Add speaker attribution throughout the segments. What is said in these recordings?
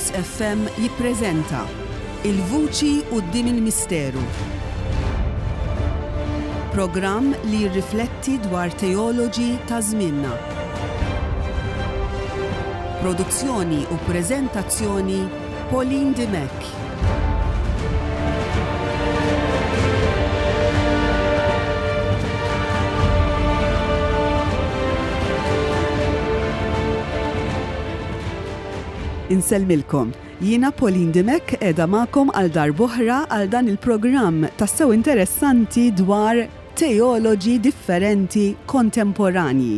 Speaker 1: Onlus FM jippreżenta Il-Vuċi Quddiem il-Misteru. Programm li jirrifletti dwar teoloġi ta' żmienna. Produzzjoni u preżentazzjoni Pauline Dimech. Insellmilkom. Jiena Pauline Dimech qiegħda magħkom għal darb'oħra għal dan il-programm tassew interessanti dwar teoloġi differenti kontemporanji.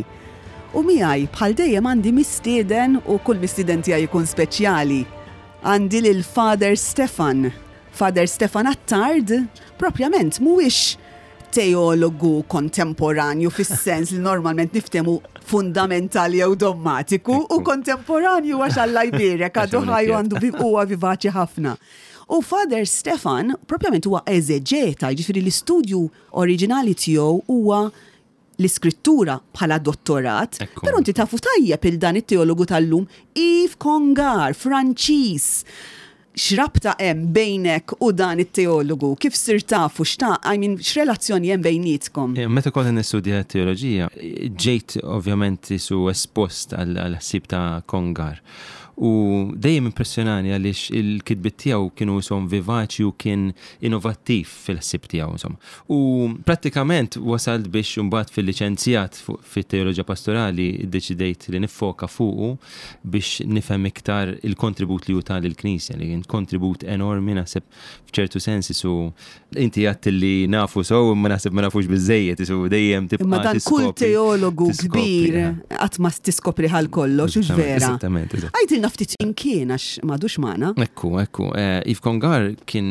Speaker 1: U miegħi bħal dejjem għandi mistieden u kull mistieden tiegħi jkun speċjali. Għandi lil Father Stefan. Father Stefan Attard propjament mhuwiex teologu kontemporanju fis-sens li normalment niftehmu fundamentali jew dommatiku u kontemporanju għax Alla jbierek għadu ħaj u għandu huwa vivaċi ħafna. U Father Stefan propjament huwa eżeġeta, jiġifieri l-istudju oriġinali tiegħu huwa l-Iskrittura bħala dottorat, però inti tafu tajjeb il dan it-teologu tal-lum, Yves Congar, Franċiż. X'rabta hemm bejnek u dan it-teologu? Kif sirt tafu? X'ta, I mean, x'relazzjoni hemm bejnietkom?
Speaker 2: Meta kont qed nistudja t-teoloġija, ġejt ovvjament isu espost għall-ħsieb ta' Congar. U dejjem impressjonani għaliex il-kitbiet tiegħu kienu ishom vivaċi u kien innovattiv fil-ħsieb tiegħu insomma. U prattikament wasalt biex imbagħad fil-liċenzjat fit-teoloġija pastorali ddeċidejt li niffoka fuqu biex nifhem iktar il-kontribut li hu ta lill-Knisja, li kien kontribut enormi naħseb f'ċertu sens isu inti għadt li nafu sew imma naħseb ma nafux biżejjed isu dejjem tibqa'
Speaker 1: Imma dan kull teologu kbir eh. qatt ma tiskopri ħal kollox, hux vera.
Speaker 2: Eżattament.
Speaker 1: Għidilna ftit min kien għax m'għadux magħna.
Speaker 2: Ekku, ekku. Eh, Yves Congar kien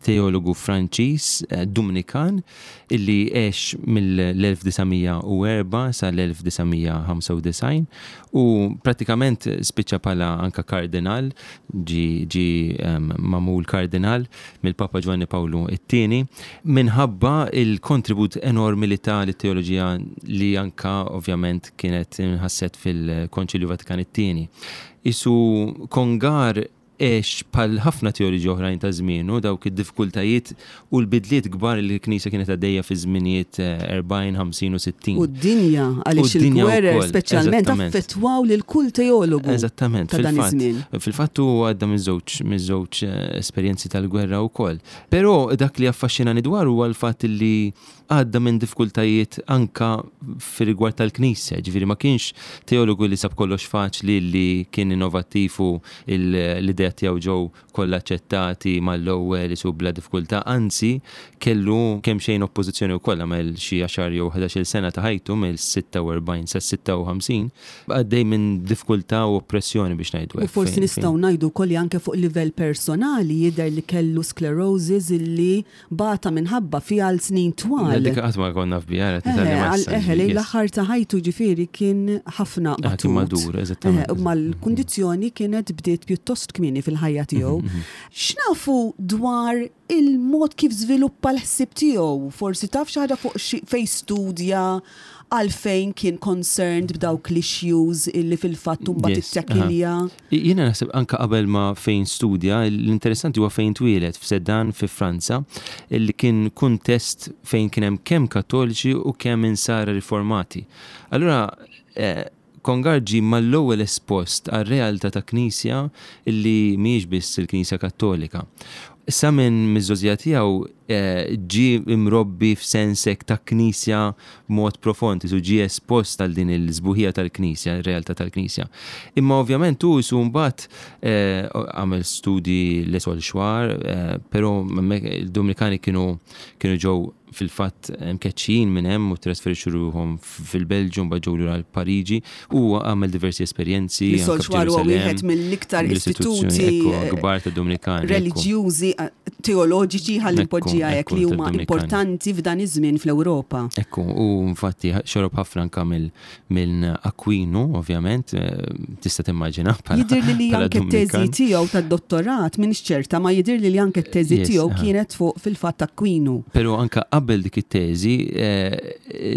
Speaker 2: teologu Franċiż Dumnikan illi għex mill-1904 sal-1995 u prattikament spiċċa bħala anka kardinal, ġie ġie magħmul kardinal mill-Papa Ġwanni Pawlu t-Tieni minħabba l-kontribut enormi li ta lit-teoloġija li anka ovvjament kienet inħasset fil-Konċilju Vatikan it-Tieni. Qisu Congar għex bħal ħafna teoloġi oħrajn ta' żmienu dawk id-diffikultajiet u l-bidliet kbar li l-Knisja kienet għaddejja fi żminijiet 40, 50 u 60.
Speaker 1: U d-dinja, għaliex il-gwerer speċjalment affettwaw lil kull teologu.
Speaker 2: Eżattament,
Speaker 1: ta' dan iż-żmien.
Speaker 2: Fil-fatt hu għadda miż-żewġ esperjenzi tal-gwerra wkoll. Però dak li affaxxinani dwaru huwa l-fatt li għadda minn diffikultajiet anka fir-rigward tal-Knisja, jiġifieri ma kienx teologu li sab kollox faċli li kien innovattiv u l-ideat tiegħu ġew kollha aċċettati mal-ewwel isu bla diffikultà, anzi kellu kemxejn oppożizzjoni wkoll, għamel xi għaxar jew ħdax-il sena ta' ħajtu mill-46 sas-56 għaddej minn diffikultà u oppressjoni biex ngħidu
Speaker 1: hekk. U forsi nistgħu ngħidu wkoll li anke fuq livell personali jidher li kellu sclerosis illi Bata minħabba fiha għal snin twal.
Speaker 2: Dik qatt ma kont naf biha, qed
Speaker 1: nitgħallem issa. Eħe, lejn l-aħħar ta' ħajtu ġifieri kien ħafna
Speaker 2: batut. Kien madur, eżattament.
Speaker 1: Imma l-kundizzjoni kienet bdiet pjuttost kmieni fil-ħajja tiegħu. X'nafu dwar il-mod kif żviluppa l-ħsieb tiegħu? Forsi taf xi ħaġa fuq fejn studja, għalfejn kien concerned b'dawk l-issues illi fil-fatt imbagħad ittekilja?
Speaker 2: Jiena naħseb anke qabel ma fejn studja, l-interessanti huwa fejn twieled, f'Sedan fi Franza, li kien kuntest fejn kien hemm kemm Kattoliċi u kemm Insara Riformati. Allura Congar ġie mal-ewwel espost għar-realtà ta' Knisja li mhijiex biss il-Knisja Kattolika. Sa minn miż-żgħożija tiegħu ġie mrobbi f'sens hekk ta' Knisja b'mod profond, qisu ġie espost għal din il-sbuħija tal-Knisja, ir-realtà tal-Knisja. Imma ovvjament hu qisu mbagħad għamel studji l-Saulchoir, però hemmhekk il-Dominikani kienu kienu ġew fil-fatt mkeċċijin minn hemm u ttrasferixxu ruħhom fil-Belġju mbagħad ġew lura Pariġi u għamel diversi esperjenzi.
Speaker 1: L-Saulchoir huwa wieħed mill-iktar istituti
Speaker 2: kbar tad-Dominikani.
Speaker 1: Reliġjużi teoloġiċi ħalli npoġġiha hekk li huma importanti f'dan iż-żmien fl-Ewropa.
Speaker 2: Ekku, u infatti xorob ħafna anka minn Aquinu, ovvjament, tista' timmaġina.
Speaker 1: Jidhirli li anke t-teżi tiegħu tad-dottorat, m'iniex ċerta, ma jidhirli li anke t-teżi tiegħu kienet fuq fil-fatt Aquinu.
Speaker 2: Però anka qabel dik it-teżi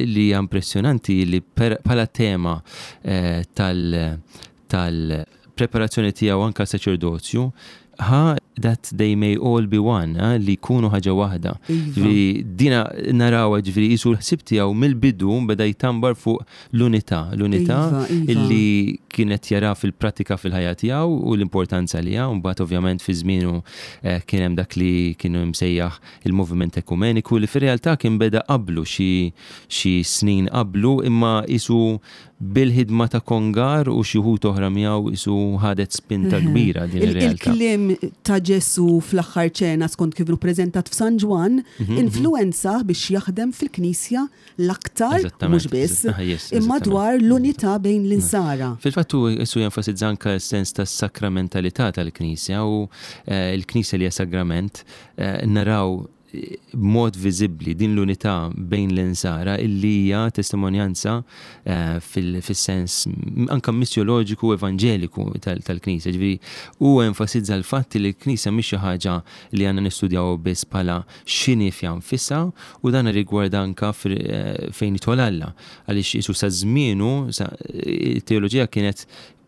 Speaker 2: li hija impressjonanti li bħala tema tal tal fil-preparazzjoni tiegħu anka saċerdozju, ħa that they may all be one, eh, li jkunu ħaġa waħda.
Speaker 1: Iva.
Speaker 2: Ġifieri dina narawha ġifieri qisu l-ħsieb tiegħu mill-bidu beda jtambar fuq l-unità, l-unità
Speaker 1: Iva, iva.
Speaker 2: illi kienet jara fil-pratika fil-ħajja tiegħu u l-importanza li ha, mbagħad ovvjament fi żmienu eh, kien hemm dak li kienu msejjaħ il-moviment ekumeniku li fir-realtà kien beda qablu xi xi snin qablu imma qisu bil-ħidma ta' Congar u xi wħud oħra miegħu qisu ħadet spinta kbira din ir-realtà.
Speaker 1: Il-kliem ta' Ġesu fl-aħħar ċena skont kif preżentat f'San Ġwann influenza biex jaħdem fil-Knisja l-aktar mhux biss imma dwar l-unità bejn l-insara.
Speaker 2: Fil-fatt hu qisu jenfasizza anke s-sens ta' sakramentalità tal-Knisja u eh, l-Knisja li hija sagrament eh, naraw b'mod viżibbli din l-unità bejn l-insara illi hija testimonjanza eh, fis-sens anka missjoloġiku evanġeliku tal-Knisja. Ġifieri hu enfasizza l-fatt li l-Knisja mhix xi ħaġa li għandna nistudjaw biss bħala x'inhi fiha nfisha u dan rigwarda anka eh, fejn jidħol Alla. Għaliex isu sa żmienu it-teoloġija kienet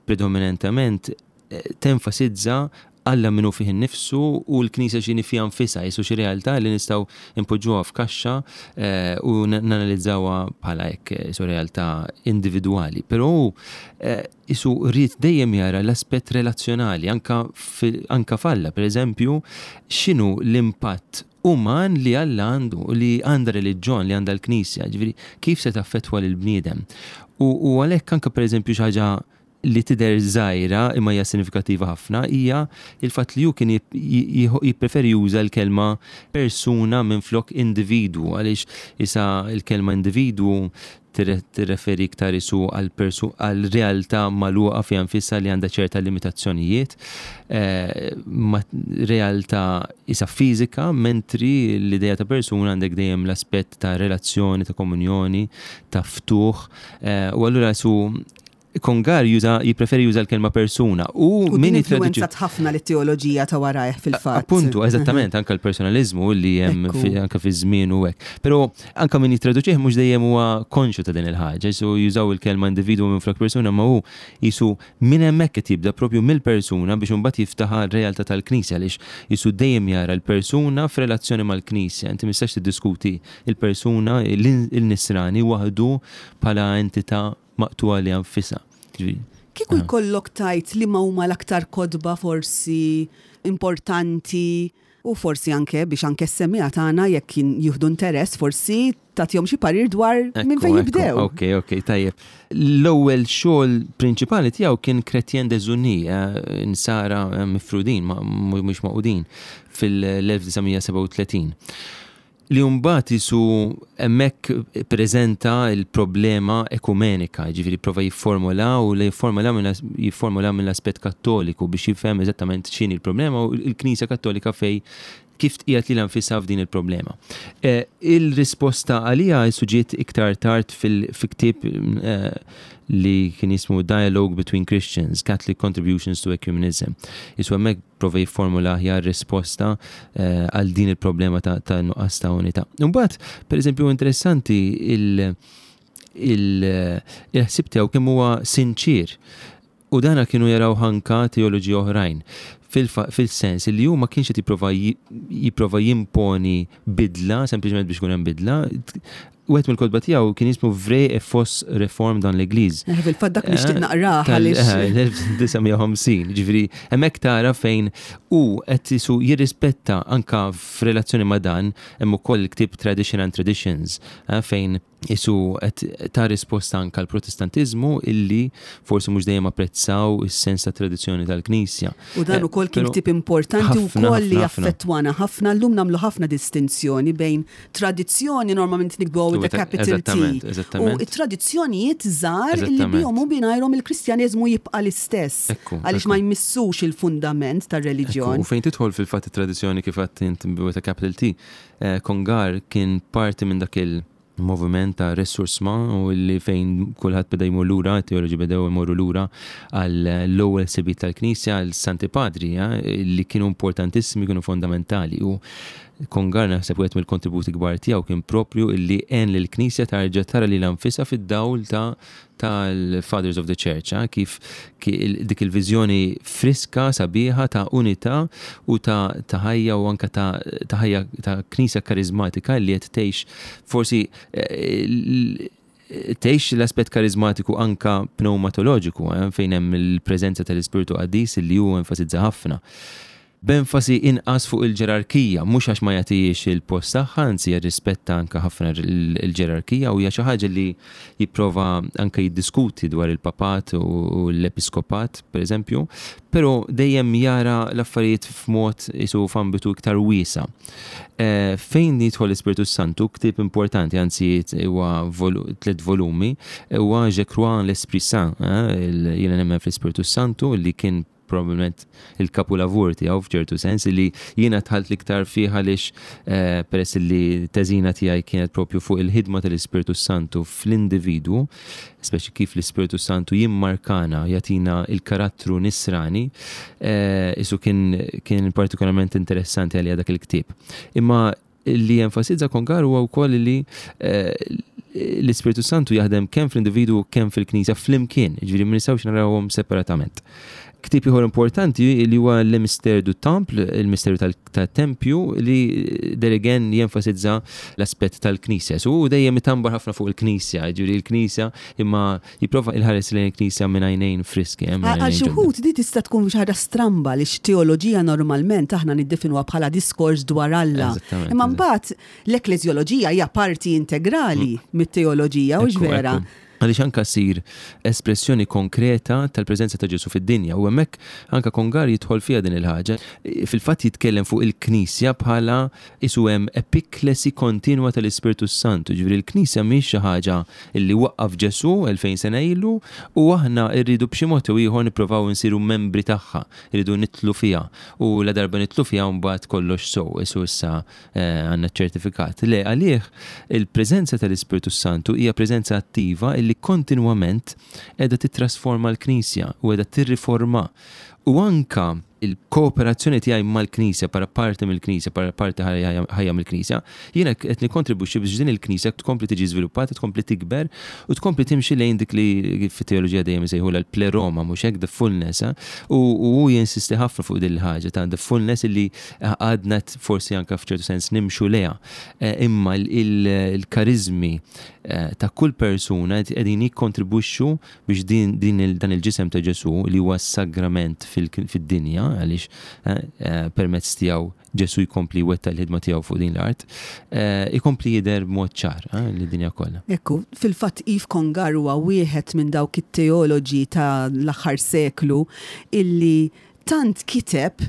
Speaker 2: predominantament eh, tenfasizza Alla minnu fih innifsu u l-Knisja x'inhi fiha nfisha, jisu xi realtà li nistgħu npoġġuha f'kaxxa eh, u nanalizzawha bħala hekk jisu realtà individwali. Però hu eh, isu rrid dejjem jara l-aspett relazzjonali anka anka f'Alla, pereżempju, x'inhu l-impatt uman li Alla għandu, li għandha reliġjon, li għandha l-Knisja, ġifieri kif se taffettwa lill-bniedem. U għalhekk anka pereżempju xi ħaġa li tidher żgħira imma hija sinifikattiva ħafna hija il-fatt li hu kien jippreferi juża l-kelma persuna minflok individwu għaliex isa l-kelma individwu tirreferi iktar isu għal realtà magħluqa fiha nfisha li għandha ċerta limitazzjonijiet, eh, ma realtà isa fiżika, mentri l-idea ta' persuna għandek dejjem l-aspett ta' relazzjoni, ta' komunjoni, ta' ftuħ, eh, u allura su Congar juża jippreferi juża l-kelma persuna
Speaker 1: u min influenzat ħafna lit-teoloġija ta' warajh fil-fatt.
Speaker 2: Appuntu, eżattament, anka l-personalizmu li hemm anka fi żmien u hekk. Però anka min jittraduċih mhux dejjem huwa konxju ta' din il-ħaġa, jisu jużaw il-kelma individwu minn flok persuna ma hu jisu minn hemmhekk qed jibda propju mill-persuna biex imbagħad jiftaħ r-realtà tal-Knisja għaliex jisu dejjem jara l-persuna f'relazzjoni mal-Knisja. Inti mistax tiddiskuti il-persuna, il-nisrani waħdu bħala entità maqtugħa li nfisha.
Speaker 1: Kieku jkollok tajt li ma huma l-aktar kotba forsi importanti u forsi anke biex anke s-semmiegħa tagħna jekk jieħdu interess forsi tagħtihom xi parir dwar minn fejn jibdew.
Speaker 2: Ok, tajjeb. L-ewwel xogħol prinċipali tiegħu kien Chrétien Désunis, eh, nsara eh, mifrudin, mhux maqudin fil-1937. Li mbagħad isu hemmhekk preżenta l-problema ekumenika, jiġifieri prova jifformula u li jifformula jifformula mill-aspett Kattoliku biex jifhem eżattament x'inhi l-problema u l-Knisja Kattolika fej kif tqiegħed lilha nfisha f'din il-problema. Eh, il-risposta għaliha isu ġiet iktar tard fil-ktieb eh, li kien jismu Dialogue Between Christians, Catholic Contributions to Ecumenism. Isu hemmhekk prova jifformula aħjar risposta eh, għal din il-problema ta' nuqqas ta' unità. Imbagħad, pereżempju, interessanti il-ħsieb tiegħu kemm huwa sinċir. U dana kienu jaraw anka teoloġi oħrajn fil-sens li hu ma kienx qed jipprova jipprova jimponi bidla sempliċement biex ikun hemm bidla. Wieħed mill-kotba tiegħu kien jismu Vraie et fausse réforme dans l'Église.
Speaker 1: Eh, fil-fatt dak nixtieq naqrah għaliex.
Speaker 2: L-1950, ġifieri hemmhekk tara fejn hu qed isu jirrispetta anka f'relazzjoni ma' dan hemm ukoll il-ktieb Tradition and Traditions eh, fejn isu qed ta' risposta anka l-Protestantiżmu illi forsi mhux dejjem apprezzaw is-sens ta' tradizzjoni tal-Knisja.
Speaker 1: U dan eh, ukoll kien ktieb importanti wkoll li affettwana ħafna llum nagħmlu ħafna distinzjoni bejn tradizzjoni normalment nikbu with the capital T. U it-tradizzjonijiet żgħar illi bihom u bingħajrhom il-Kristjaneżmu jibqa' l-istess. Għaliex ma jmissux il-fundament tar-reliġjon.
Speaker 2: U fejn tidħol fil-fatt it-tradizzjoni kif għedt int with a capital T, eh, Congar kien parti minn dak il- moviment ta' ressourcement u li fejn kulħadd beda jmur lura, teoloġi bedew imorru lura għal l-ewwel sebiet tal-Knisja, għal Santi Padri, eh, li kienu importantissimi, kienu fondamentali. U Congar naħseb wieħed mill-kontributi kbar tiegħu kien propju illi għen lill-Knisja tarġa' tara lilha nfisha fid-dawl ta' tal-Fathers of the Church, eh, kif dik il-viżjoni friska, sabiħa ta' unità u ta' ħajja u anka ta' ħajja ta' Knisja karizmatika li qed tgħix forsi eh, tgħix l-aspett karizmatiku anka pneumatoloġiku, eh, fejn hemm il-preżenza tal-Ispirtu Qaddis li hu enfasizza ħafna. B'enfasi inqas fuq il-ġerarkija, mhux għax ma jagħtihiex il-post tagħha, anzi jirrispetta anke ħafna l-ġerarkija u hija xi ħaġa li jipprova anke jiddiskuti dwar il-papat u l-episkopat, pereżempju, però dejjem jara l-affarijiet f'mod isu f'ambitu iktar wiesa'. Fejn jidħol l-Ispirtu s-Santu, ktieb importanti, anzi huwa tliet volumi, huwa Je crois en l'Esprit Saint, jiena nemmen fl-Ispirtu s-Santu li kien probabbilment il-kapulavur tiegħu f'ċertu sens li jiena dħalt l-iktar fih għaliex eh, peress li teżina tiegħi kienet propju fuq il-ħidma tal-Ispirtu Santu fl-individwu, speċi kif l-Ispirtu Santu jimmarkana, jagħtina il-karattru nisrani, eh, isu kien, kien partikolarment interessanti għalija dak il-ktieb. Imma li jenfasizza Congar huwa wkoll li eh, l-Ispirtu Santu jaħdem kemm fl-individwu kemm fil-Knisja flimkien, ġifieri ma nistgħux narawhom separatament. Ktieb ieħor importanti li huwa Le Mystère du Temple, il-misteru tal-tempju li Derigen jenfasizza l-aspett tal-Knisja. So hu dejjem itambar ħafna fuq il-Knisja, ġifieri l-Knisja imma jipprova il-ħares lejn il-Knisja minn għajnejn friski. Eh,
Speaker 1: għal xi wħud di tista' tkun xi ħaġa stramba li teoloġija normalment aħna niddefinuha bħala diskors dwar Alla. Imma mbagħad l-ekkleżjoloġija hija parti integrali mm. mit-teoloġija, u vera.
Speaker 2: Għaliex anka ssir espressjoni konkreta tal-preżenza ta' Ġesù fid-dinja u hemmhekk anka Congar jidħol fiha din il-ħaġa. Fil-fatt jitkellem fuq il-Knisja bħala Qisu hemm epiklesi kontinwa tal-Ispirtu s-Santu, jiġifieri l-Knisja mhix xi ħaġa li waqqaf Ġesù 2000 sena ilu u aħna rridu b'xi mod jew ieħor nipprovaw insiru membri tagħha, irridu nidħlu fiha u ladarba nidħlu fiha mbagħad kollox sew, qisu issa għandna ċ-ċertifikat. Le, għalih il-preżenza tal-Ispirtu s-Santu hija preżenza attiva illi kontinwament qiegħda tittrasforma l-Knisja u qiegħda tirriforma u anke il-kooperazzjoni tiegħi mal-Knisja bħala parti mill-Knisja, bħala parti ħajja mill-Knisja, jiena qed nikkontribwixxi biex din il-Knisja tkompli tiġi żviluppata, tkompli tikber u tkompli timxi lejn dik li fit-teoloġija dejjem isejħulha l-pleroma, mhux hekk, the fullness. Eh? U hu jinsisti ħafna fuq din il-ħaġa ta' the fullness illi għadna forsi anke f'ċertu sens nimxu lejha. Eh, imma il-karizmi eh, ta' kull persuna qegħdin jikkontribwixxu biex din, din il, dan il-ġisem ta' Ġesù li huwa s-sagrament fid-dinja għaliex eh, eh, permezz tiegħu Ġesù jkompli jwettaq il-ħidma tiegħu fuq din l-art, eh, ikompli jidher b'mod ċar lid-dinja kollha.
Speaker 1: Ekku, fil-fatt Yves Congar huwa wieħed minn dawk it-teoloġi ta' l-aħħar seklu illi tant kiteb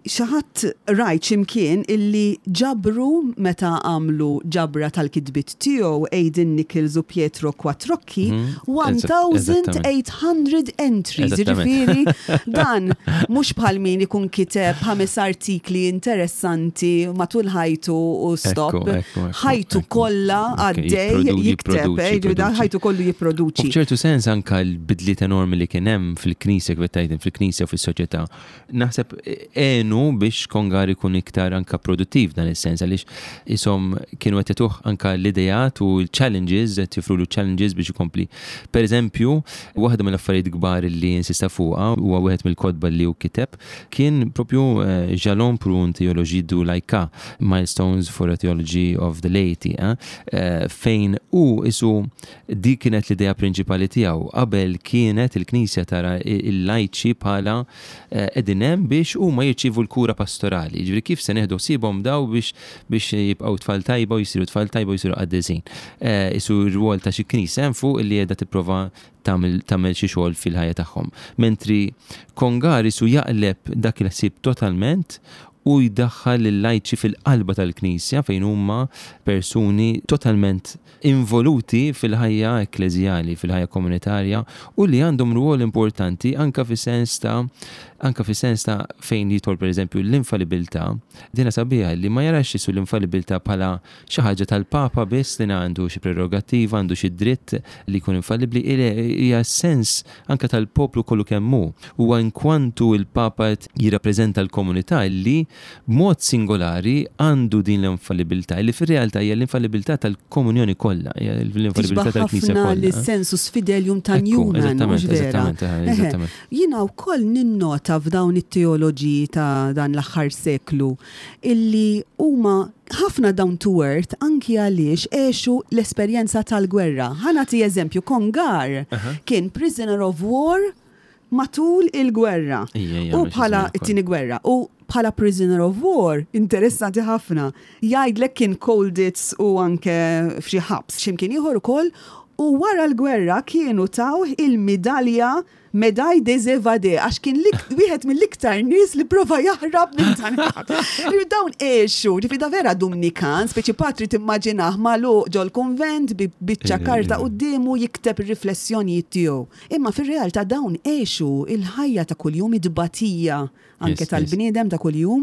Speaker 1: Xi ħadd rajt xi mkien illi ġabru meta għamlu ġabra tal-kitbiet tiegħu Aidan Nichols u Pietro Quattrocchi 1800 entries. Jiġifieri dan mhux bħal min ikun kiteb ħames artikli interessanti matul ħajtu u stop. Ħajtu kollha għaddej jikteb, ħajtu kollu jipproduċi.
Speaker 2: U f'ċertu sens anke l-bidliet enormi li kien hemm fil-Knisja kif qed tgħid fil-Knisja u fis-soċjetà Naħseb għenu biex Congar ikun iktar anka produttiv dan is-sens għaliex ishom kienu qed jagħtuh anka l-ideat u l-challenges, qed joffrulu challenges biex ikompli. Per eżempju, waħda mill-affarijiet kbar li insista fuqha huwa wieħed mill-kotba li hu kiteb kien propju eh, Jalons pour une théologie du laïcat, Milestones for a Theology of the Laity, eh, eh, fejn hu isu dik kienet l-idea prinċipali tiegħu. Qabel kienet il-Knisja tara il-lajċi bħala qegħdin hemm biex huma jirċievu l-kura pastorali. Jiġifieri kif se nieħdu ħsiebhom daw biex biex jibqgħu tfal tajba u jsiru tfal tajba u jsiru qaddisin. Isu r-rwol ta' xi knisja hemm fuq li qiegħda tipprova tagħmel tagħmel xi xogħol fil-ħajja tagħhom. Mentri Congar isu jaqleb dak il-ħsieb totalment u jdaħħal lil-lajċi fil-qalba tal-Knisja fejn huma persuni totalment involuti fil-ħajja ekkleżjali, fil-ħajja komunitarja u li għandhom rwol importanti anke fis-sens ta' anke fis-sens ta' fejn jidħol pereżempju l-infallibilità. Dina sabiħa li ma jarax Ġesù l-infallibilità bħala xi ħaġa tal-Papa biss li għandu xi prerogattiva, għandu xi dritt li jkun infallibbli, hija sens anke tal-poplu kollu kemm hu. Huwa inkwantu l-Papa qed jirrappreżenta l-komunità li. b'mod singolari għandu din l-infallibilità li fir-realtà hija l-infallibilità tal-komunjoni kollha, hija l-infallibilità tal-Knisja kollha.
Speaker 1: Lis-sensus fidelium ta' Newman, mhux vera?
Speaker 2: Eżattament.
Speaker 1: Jiena wkoll ninnota f'dawn it-teoloġi ta' dan l-aħħar seklu illi huma ħafna down to earth anki għaliex għexu l-esperjenza tal-gwerra. Ħa nagħti eżempju, Congar kien prisoner of war matul il-gwerra. U bħala it-tieni gwerra. U bħala prisoner of war, interessanti ħafna, jgħidlek kien Colditz u anke f'xi ħabs x'imkien ieħor ukoll, u wara l-gwerra kienu tawh il-midalja Médaille des Évadés għax kien wieħed mill-iktar nies li prova jaħrab minn dan il-ħabs. Dawn għexu, ġifieri da vera Dumnikan, speċi patri timmaġinah magħluq ġol-kunvent bi biċċa karta quddiemu jikteb ir-riflessjonijiet tiegħu. Imma fir-realtà dawn għexu il-ħajja ta' kuljum, it-tbatija anke tal-bniedem ta' kuljum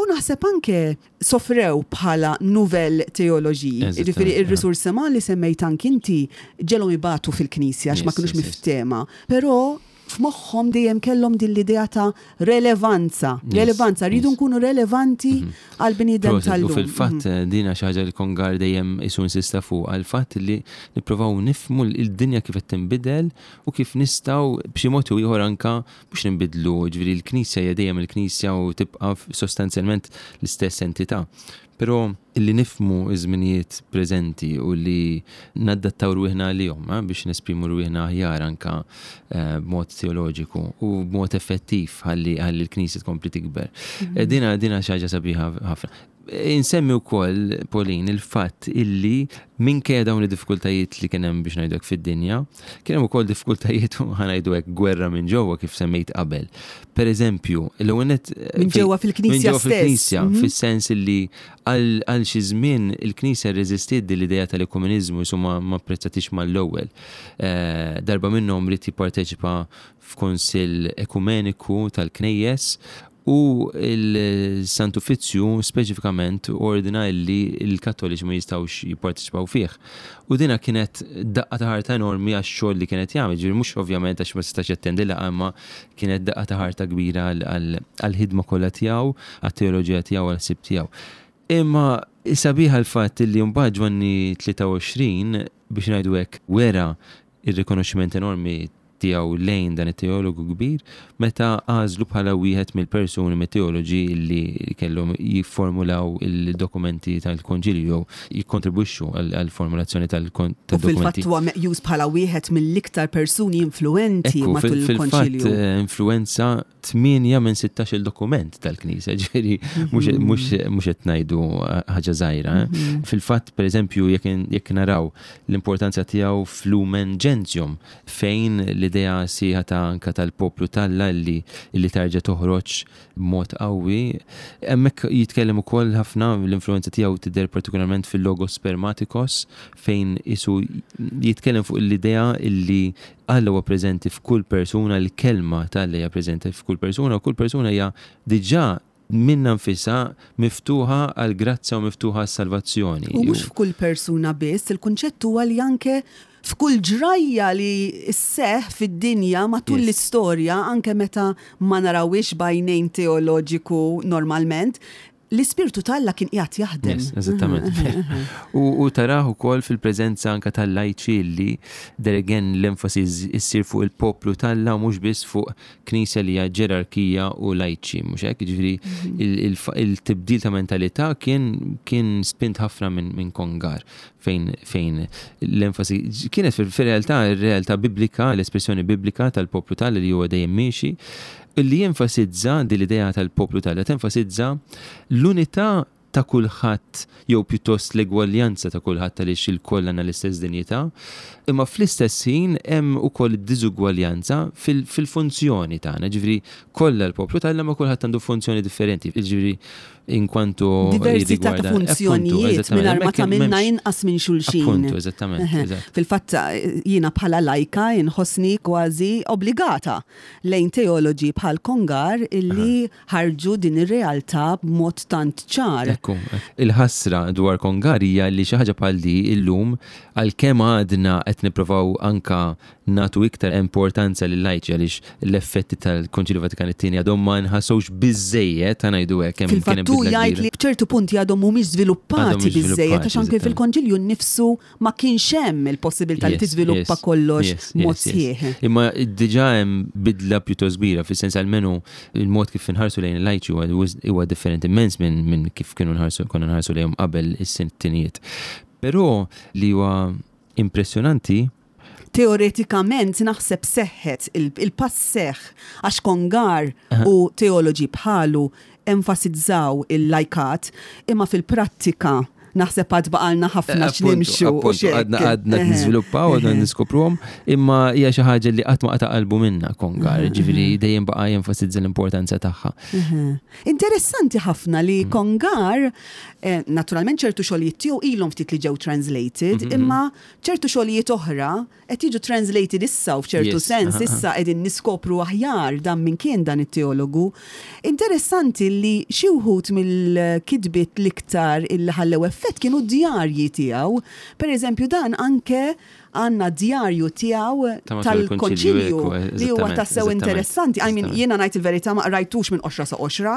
Speaker 1: u naħseb anke sofrew bħala nouvelle théologie. Jiġifieri ir-risurseman li semmejt anki inti ġelhom ibatu fil-Knisja għax ma kinux miftehma. Però f'moħħhom dejjem kellhom din l-idea ta' relevanza. Relevanza, rridu nkunu relevanti għall-bniedem tal-lum.
Speaker 2: U fil-fatt din hija xi ħaġa li Congar dejjem isu insista fuqha, l-fatt li nippruvaw nifhmu l-dinja kif qed tinbidel u kif nistgħu b'xi mod jew ieħor anke mhux ninbidlu, jiġifieri l-Knisja hija dejjem il-Knisja u tibqa' sostanzjalment l-istess entità. Però li nifhmu ż-żminijiet preżenti u li naddattaw rwieħna għalihom eh, biex nesprimu rwieħna aħjar anka eh, b'mod teoloġiku u b'mod effettiv ħalli l-Knisja tkompli tikber. Mhm. Eh, dina dina xi ħaġa sabiħa ħafna. Insemmi wkoll, Pauline, il-fatt illi minkejja dawn id-diffikultajiet li kien hemm biex ngħidu hekk fid-dinja, kien hemm ukoll diffikultajiet ħa ngħidu hekk gwerra minn ġewwa kif semmejt qabel. Per eżempju, l-ewwel nett
Speaker 1: Minn ġewwa fil-Knisja
Speaker 2: Minn ġewwa fil-Knisja, mhm. fis-sens illi għal xi żmien il-Knisja rreżistiet din l-idea tal-ekumeniżmu jisu ma apprezzatix mal-ewwel. Eh, darba minnhom ried jipparteċipa f'kunsill ekumeniku tal-knejjes U l-Sant Uffizzju speċifikament ordna illi l-Kattoliċi ma jistgħux jipparteċipaw fih. U dina kienet daqqa ta' ħarta enormi għax-xogħol li kienet jagħmel, ġifieri mhux ovvjament għax ma setax jattendi laqgħa imma kienet daqqa ta' ħarta kbira għall-ħidma kollha tiegħu, għat-teoloġija tiegħu, għall-ħsieb tiegħu. Imma sabiħa l-fatt illi mbagħad Ġwanni 23 biex ngħidu hekk wera r-rikonoxximent enormi tiegħu lejn dan it-teologu kbir meta għażlu bħala wieħed mill-persuni mit-teoloġi li kellhom jifformulaw il-dokumenti tal-Konċilju jew jikkontribwixxu għall-formulazzjoni
Speaker 1: tal-dokumenti. U fil-fatt huwa meqjus bħala wieħed mill-iktar persuni influwenti matul il-Konċilju.
Speaker 2: Fil-fatt influwenza 8 minn 16 dokument tal-Knisja, ġifieri mhux qed ngħidu ħaġa żgħira. Eh. Mhm. Fil-fatt, pereżempju, jekk naraw l-importanza tiegħu f'Lumen Gentium, fejn l-idea sieħa ta' anka tal-poplu talla li li tarġa' toħroġ b'mod qawwi, hemmhekk jitkellem ukoll ħafna l-influenza tiegħu tidher partikolarment fil-Logos Spermatikos fejn isu jitkellem fuq l-idea illi Alla huwa preżenti f'kull persuna, l-Kelma ta' Alla hija preżenti f'kull persuna u kull persuna hija diġà minnha nfisha miftuħa għall-grazzja u miftuħa għas-salvazzjoni.
Speaker 1: U mhux f'kull persuna biss, il-kunċett huwa li anke f'kull ġrajja li sseħħ fid-dinja matul l-istorja, anke meta ma narawhiex b'għajnejn teoloġiku normalment, L-Ispirtu ta' Alla kien qiegħed jaħdem.
Speaker 2: Yes, eżattament. U tarah ukoll fil-preżenza anke tal-lajċi li there again l-enfasi issir fuq il-poplu t'Alla u mhux biss fuq knisja li hija ġerarkija u lajċi, mhux hekk? Jiġifieri mhm. il-tibdil ta' mentalità kien kien spint ħafna minn Kongar fejn fejn l-enfasi kienet fil-realtà ir-realtà biblika, l-espressjoni biblika tal-poplu t'Alla li huwa dejjem miexi Illi jenfasizza din l-idea tal-poplu t'Alla, tenfasizza l-unità ta' kulħadd jew pjuttost l-egwaljanza ta' kulħadd għaliex ilkoll għandna l-istess dinjità, imma fl-istess ħin hemm ukoll id-diżugwaljanza fil-funzjoni tagħna, ġifieri kollha l-poplu t'Alla ma kulħadd għandu funzjoni differenti, ġifieri inkwantu
Speaker 1: diversità ta' funzjonijiet mingħajr ma tagħmilna inqas minn xulxin.
Speaker 2: Appuntu, eżattament.
Speaker 1: Fil-fatt jiena bħala lajka inħossni kważi obbligata lejn teoloġi bħal Congar illi ħarġu din ir-realtà b'mod tant ċar.
Speaker 2: Ekku, il-ħasra dwar Congar hija li xi ħaġa bħal di illum għalkemm għadna qed nipprovaw anka nagħtu iktar importanza lil-lajċi għaliex l-effetti tal-Konċilju Vatikan it-Tieni għadhom ma nħassewx biżżejjed, ħa ngħidu hekk, hemm kien hemm
Speaker 1: Fil-fatt hu
Speaker 2: bidla
Speaker 1: jgħid
Speaker 2: kbira.
Speaker 1: li f'ċertu punti għadhom mhumiex
Speaker 2: Għadhom
Speaker 1: żviluppati
Speaker 2: mhux
Speaker 1: biżżejjed
Speaker 2: żviluppati,
Speaker 1: għax anke
Speaker 2: eżattament.
Speaker 1: fil-Konċilju nnifsu ma kienx hemm il-possibilità li
Speaker 2: Yes,
Speaker 1: tiżviluppa
Speaker 2: yes,
Speaker 1: kollox
Speaker 2: yes,
Speaker 1: b'mod
Speaker 2: yes, yes.
Speaker 1: sħiħ.
Speaker 2: Imma diġà hemm bidla pjuttost kbira, fis-sens almenu il-mod kif inħarsu lejn il-lajċi huwa huwa differenti immens minn minn kif kienu nħarsu konna nħarsu lejhom qabel is-sittinijiet. Però li huwa impressjonanti
Speaker 1: Teoretikament naħseb seħħet il-pass seħħ għax Congar u teoloġi bħalu enfasizzaw il-lajkat imma fil-prattika naħseb għad baqalna ħafna x'nimxu. u
Speaker 2: Appuntu, għadna
Speaker 1: x'hekk.
Speaker 2: għadna niżviluppaw, għadna niskopruhom, imma hija xi ħaġa li qatt ma qata' qalbu minna Congar, ġifieri dejjem baqa' jenfasizza l-importanza tagħha.
Speaker 1: Interessanti ħafna li Congar, naturalment ċertu xogħlijiet tiegħu ilhom ftit li ġew translated, imma ċertu xogħlijiet oħra qed jiġu translated issa u f'ċertu sens issa qegħdin niskopru aħjar dan min kien dan it-teologu. Interessanti li xi wħud mill-kitbiet l-iktar illi ħallew effett kienu d-djarji tiegħu. Per eżempju dan anke għandna djarju tiegħu
Speaker 2: Ta' matul il-konċilju,
Speaker 1: tal-konċilju
Speaker 2: ekku,
Speaker 1: li huwa
Speaker 2: eżattament,
Speaker 1: tassew
Speaker 2: eżattament,
Speaker 1: interessanti. I mean,
Speaker 2: eżattament.
Speaker 1: jiena ngħid il-verità ma qrajtux minn qoxra sa qoxra,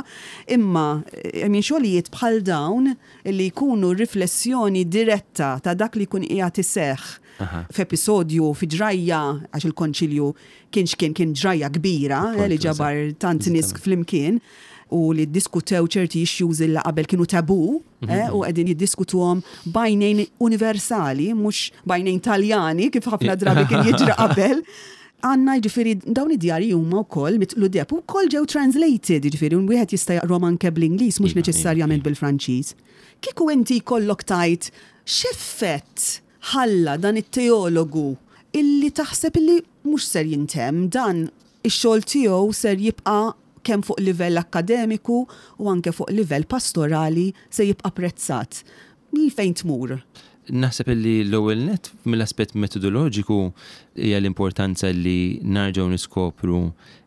Speaker 1: imma I mean, xogħlijiet bħal dawn li jkunu riflessjoni diretta ta' dak li jkun qiegħed iseħħ f'episodju fi ġrajja għax il-konċilju kienx kien kien ġrajja kbira li ġabar tant nies flimkien u li ddiskutew ċerti issues li qabel kienu tabu u qegħdin jiddiskutuhom b'għajnejn universali, mhux b'għajnejn Taljani kif ħafna drabi kien jiġri qabel. Għandna jiġifieri dawn id-djarji huma wkoll mitqlu deheb u wkoll ġew translated, jiġifieri wieħed jista' jaqrom anke bl-Ingliż mhux neċessarjament bil-Franċiż. Kieku inti jkollok tgħid x'effett ħalla dan it-teologu illi taħseb illi mhux ser jintemm dan ix-xogħol tiegħu ser jibqa' kemm fuq livell akkademiku u anke fuq livell pastorali se jibqa' apprezzat. Lil fejn tmur?
Speaker 2: Naħseb illi l-ewwel nett mill-aspett metodoloġiku hija l-importanza li narġgħu niskopru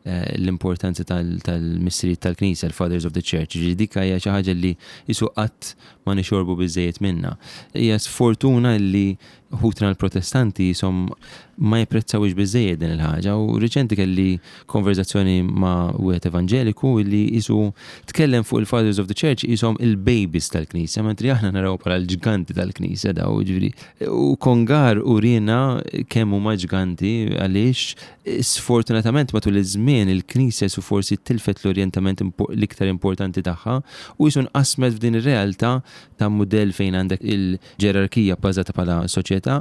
Speaker 2: l-importanza tal-missirijiet tal-Knisja, l-Fathers of the Church. Ġifieri dik hija xi ħaġa li qisu qatt ma nixorbu biżżejjed minnha. Hija sfortuna li ħutna l-Protestanti jisom ma jipprezzawx biżżejjed din il-ħaġa u riċenti kelli konverzazzjoni ma' wieħed evanġeliku li qisu tkellem fuq il-Fathers of the Church jisom il-babies tal-Knisja, mentri aħna naraw bħala l-ġganti tal-Knisja daw, ġifieri. U Congar uriena kemm huma ġganti għaliex sfortunatament matul iż-żmien il-Knisja su forsi tilfet l-orjentament l-iktar importanti tagħha u jisu nqasmet f'din ir-realtà ta' mudell fejn għandek il-ġerarkija bbażata bħala soċjetà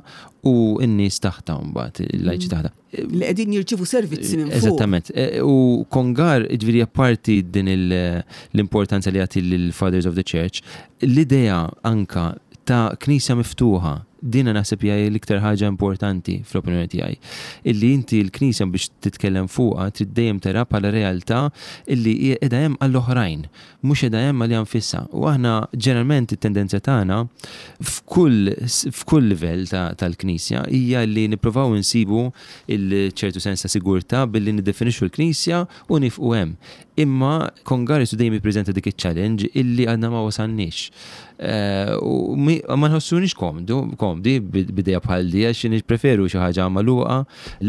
Speaker 2: u n-nies taħta mbagħad, il-lajċi taħta.
Speaker 1: Li qegħdin jirċievu servizzi minn fuq.
Speaker 2: Eżattament. U Congar, ġifieri apparti din l-importanza li jagħti lill-Fathers of the Church, l-idea anka ta' knisja miftuħa, dina naħseb hija l-iktar ħaġa importanti fl-opinjoni tiegħi. Illi inti l-knisja biex titkellem fuqha trid dejjem tara bħala realtà illi hija qiegħda hemm għall-oħrajn, mhux qiegħda hemm għaliha nfisha. U aħna ġeneralment it-tendenza tagħna f'kull livell tal-knisja hija li nippruvaw insibu il-ċertu sens ta' sigurtà billi niddefinixxu l-knisja u nifqu hemm. Imma Congar isu dejjem jippreżenta dik iċ-challenge illi għadna ma wasalniex. U ma nħossunix komdi b'idea bħal di għax nippreferu xi ħaġa magħluqa,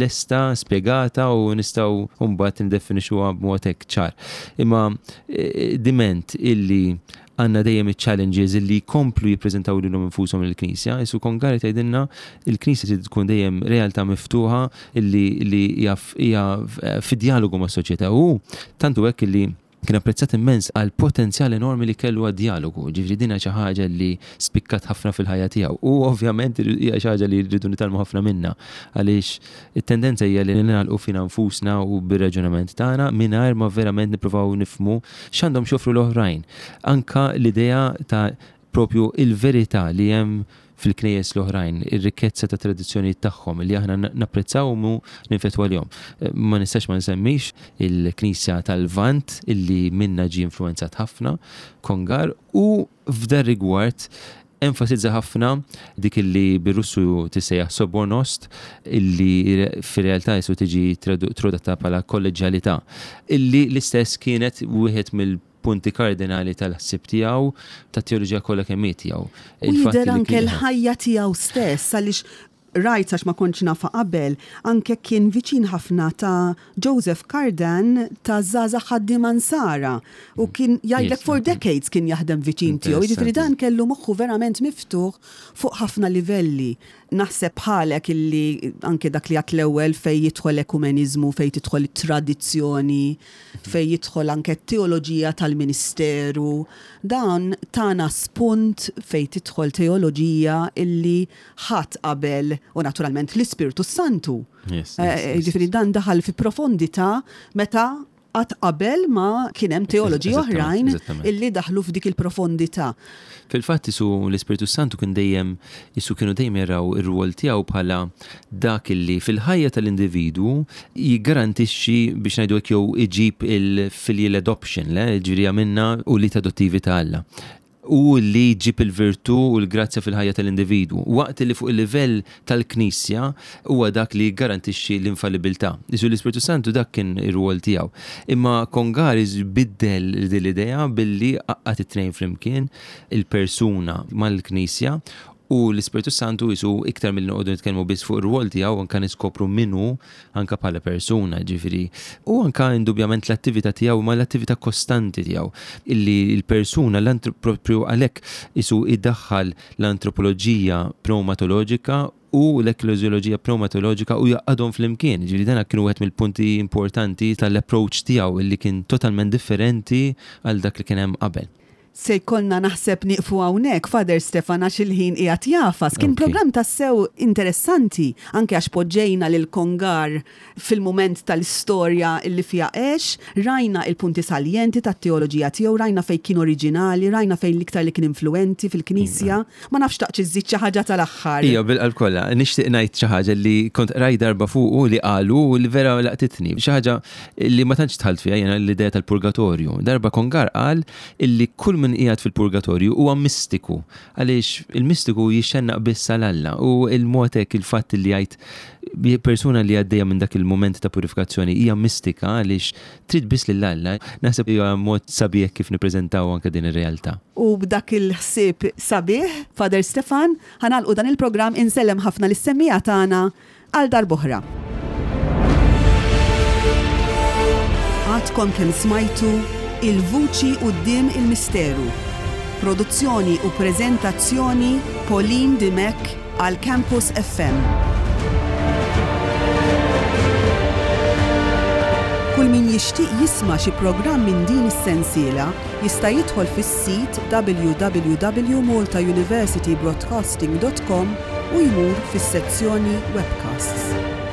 Speaker 2: lesta, spjegata u nistgħu mbagħad niddefinixxuha b'mod hekk ċar. Imma diment illi għandna dejjem iċ-challenges illi jkomplu jippreżentaw lilhom infushom lill-Knisja, isu Congar tgħidilna il-Knisja trid tkun dejjem realtà miftuħa illi li hija fi dialogu mas-soċjetà u tantu hekk illi kien apprezzat immens għal potenzjal enormi li kellu għad-dialogu, ġifieri din xi ħaġa li spikkat ħafna fil-ħajja tiegħu. U ovvjament hija xi ħaġa li rridu nitgħallmu ħafna minna għaliex it-tendenza hija li ningħalqu fina nfusna u bir-raġunament tagħna mingħajr ma verament nippruvaw nifhmu x'għandhom x'joffru l-oħrajn. Anka l-idea ta' propju il-verità li hemm fil-knejjes l-oħrajn, ir-rikkezza ta' tradizzjonijiet tagħhom li aħna napprezzaw u ninfetwa għalihom. Ma nistax ma nsemmix il-Knisja tal-Lvant illi minna ġie influenzat ħafna Congar u f'dar rigward enfasizza ħafna dik illi bir-Russu tissejjaħ sobornost illi fir-realtà jisu tiġi tradotta bħala kolleġjalità illi l-istess kienet wieħed mill punti kardinali tal-ħsieb tiegħu, tat-teoloġija kollha kemm hi tiegħu.
Speaker 1: U jidher anke l-ħajja tiegħu stess għaliex Rajt għax ma kontx nafha qabel, anke kien viċin ħafna ta' Joseph Cardan ta' Żgħażagħ Ħaddiema Nsara u kien jgħidlek for decades kien jaħdem viċin tiegħu. Jiġifieri dan kellu moħħu verament miftuħ fuq ħafna livelli. Naħseb bħalek illi anke dak li għedt l-ewwel fejn jidħol ekumeniżmu, fejn tidħol it-tradizzjoni, fejn jidħol anke t-teoloġija tal-ministeru, dan tana spunt fejn tidħol teoloġija illi ħadd qabel u naturalment l-Ispirtu s-Santu. Jiġifieri dan daħal fi profondità meta qatt qabel ma kien hemm teoloġi oħrajn illi daħlu f'dik il-profondità.
Speaker 2: Fil-fatt isu l-Ispirtu Santu kien dejjem isu kienu dejjem jaraw ir-rwol tiegħu bħala dak illi fil-ħajja tal-individwu jiggarantixxi biex ngħidu hekk jew iġib il-filial adoption, le, ġifieri jagħmilna ulied adottivi ta' Alla u li jġib il-virtù u l-grazzja fil-ħajja tal-individwu, waqt li fuq il-livell tal-Knisja huwa dak li jiggarantixxi l-infallibilità. Isu l-Ispirtu Santu dak kien ir-rwol tiegħu. Imma Congaris biddel din l-idea billi għaqqad it-tnejn flimkien, il-persuna mal-Knisja, u l-Ispirtu Santu isu iktar milli noqogħdu nitkellmu biss fuq ir-rwol tiegħu anke niskopru min hu anke bħala persuna, ġifieri, u anke indubjament l-attività tiegħu ma l-attività kostanti tiegħu illi l-persuna l-proprju għalhekk isu idaħħal l-antropoloġija pneumatoloġika u l-ekkleżjoloġija pneumatoloġika u jgħaqqadhom flimkien. Ġifieri dan kien wieħed mill-punti importanti tal-approach tiegħu illi kien totalment differenti għal dak li kien hemm qabel.
Speaker 1: Se jkollna naħseb nieqfu hawnhekk, Father Stefan għax il-ħin qiegħed jagħfas. Kien programm tassew interessanti, anke għax poġġejna lil Congar fil-mument tal-istorja li fiha għex, rajna il-punti saljenti tat-teoloġija tiegħu, rajna fejn kien oriġinali, rajna fejn l-iktar li kien influwenti fil-Knisja. Ma nafx xtaqtx iżżid xi ħaġa tal-aħħar.
Speaker 2: Ija, bil-qalb kollha. Nixtieq ngħid xi ħaġa li kont qrajt darba fuqu li qalu u li vera laqtitni. Xi ħaġa li ma tantx dħalt fiha jiena l-idea tal-purgatorju. Darba Congar qal illi kull min qiegħed fil-purgatorju huwa mistiku, għaliex il-mistiku jixxennaq biss għal Alla u il-mod hekk il-fatt li jgħid persuna li għaddejja minn dak il-mument ta' purifikazzjoni hija mistika għaliex trid biss lil Alla, naħseb hija mod sabiħ kif nippreżentaw anke din ir-realtà.
Speaker 1: U b'dak il-ħsieb sabiħ, Father Stefan, ħa nagħlqu dan il-programm, insellem ħafna lis-semmiegħa tagħna, Għal darb'oħra. Għadkom kemm smajtu Il-Vuċi Quddiem il-Misteru. Produzzjoni u preżentazzjoni Pauline Dimech għal Campus FM. Kull min jixtieq jisma' xi programm minn din is-sensiela jista' jidħol fis-sit www.maltauniversitybroadcasting.com u jmur fis-sezzjoni Webcasts.